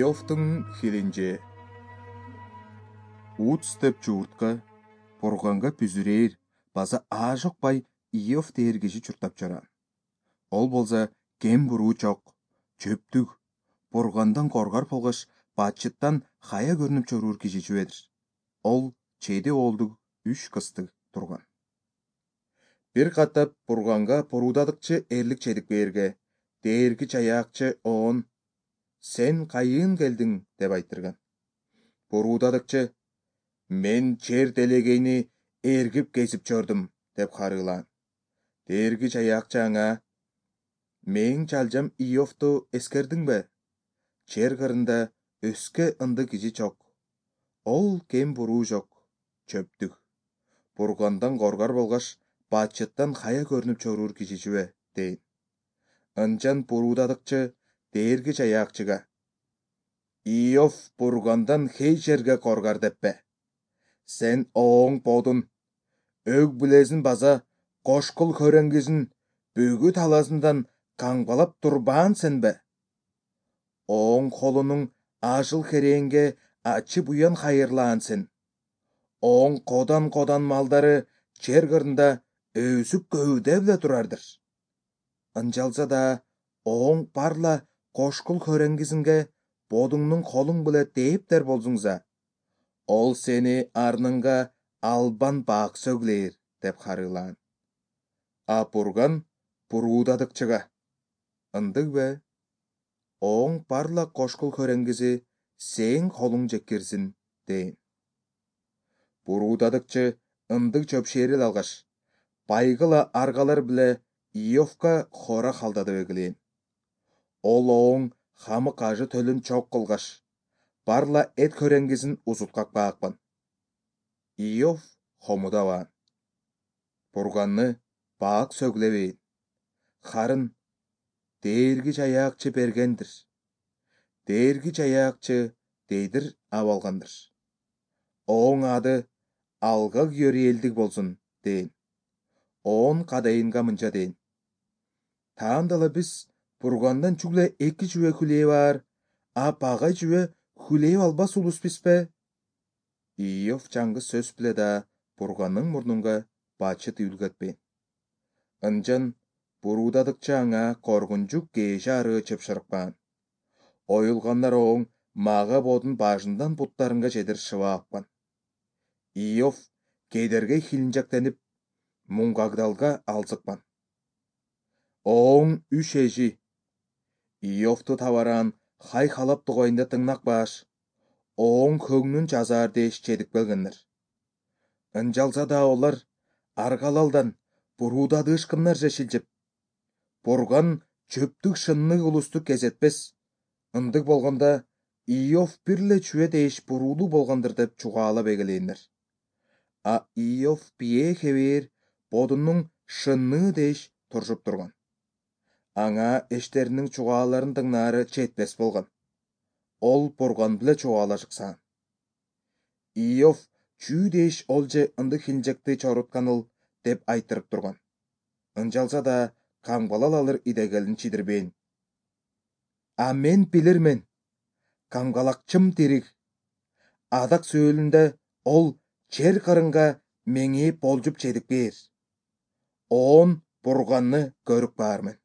Иовтың хилинже. Ут степ жууртка, Бурганга пүзүрээр, база аажокпай Иов дээр киши чуртап жаран. Ол болса кем буруу жок, чөптүк, Бургандан коргар болгош бачыттан хая көрүнүп чоруур киши жибедир. Ол 7 оолдук 3 кызды турган. Бир каттап Бурганга поруудадыкчы эрлик чедик бээрге, дээрги жаяакчы оон «Сен кайын келдиң?» деп айтырган. Поруудадыкчы «Мен жер делегейни эргип кезип жордум» деп харыылаан. Дээрги жаяакчы аңа «Мең жалжам Иовту эскердиңбе? Жер кырында өскө ынды киши жок. Ол кем буруу жок, чөптүк. Бургандан коргар болгош бачыттан хая көрүнүп чоруур киши жибе» дейин. Ынчан поруудадыкчы дээрги жаяакчыга «Иов Бургандан хей жерге коргар деппе. Сен ооң бодун, өг билезин база кошкул хөреңгизин бүгү таласындан каңбалап турбаан сенбе? Ооң холунуң ажыл херээнге ачы буян хайырлаан сен. Ооң кодан малдары жер кырында өсүп көөдөп эле турардыр. Ынчалса да ооң парла кошкул хөреңгизинге бодуңнуң холуң биле дээптер болсуңза, ол сени арныңга албан баак сөглээр» деп харыылаан. А Бурган поруудадыкчыга «Ындыгбы? Ооң парла кошкул хөреңгизи сээң холуң жеккирсин» дейин. Поруудадыкчы ындык чөпшээрил алгаш, байгыла аргалар биле Иовка хора халдадып эгилээн. Ол ооң хамык ажы төлүн чок кылгаш, парла эт хөреңгизин узуткак баакпан. Иов хомудабаан. Бурганны баак сөглебейин. Харын дээрги жаяакчы бергендир. Дээрги жаяакчы дейдир абалгандыр. Ооң ады алга күйөрү болсун дейин. Оон кадайынга мынча дейин. Таандала биз Бургандан чүгле 2 жүбө хүлээп аар, а багай жүбө хүлээп албас улуспизбе? Иов жаңгы сөз биле да Бурганның мурнунга бачыт үлгөтпейн. Ынчан поруудадыкчы аңа коргунчук кээши арыы чыпшырыкпаан. Оюлгандар ооң мага бодун башындан буттарынга чедир шыбаапкан. Иов кедерге хилинжектенип, муңгагдалга алзыкпан. Ооң үч эжи Иовту табараан хайхалап тугайында тыңнак баш, ооң көңнүн жазаар дээш чедип келгендер. Ынчалса да олар аргалалдан поруудадыышкыннарча шилжип, Бурган чөптүк шыннык улусту кезетпес. Ындык болгондо Иов бирле чүбө дээш буруулуу болгондур деп чугаалап эгелээндер. А Иов бие хебээр бодунун шынныы дээш туршуп турган. Аңа эштеринин чугааларын тыңнаары жетпес болгон. Ол Бурган биле чугаалашыксаан. Иов чүү дээш ол же ындык хилинжекти чорутканыл деп айтырып турган. Ынчалса да камгалал алыр идегелин чидирбейин. А мен билирмен, камгалакчым тирик. Адак сөөлүндө ол жер кырынга меңээп болжуп чедик бээр. Оон Бурганны көрүп баармын.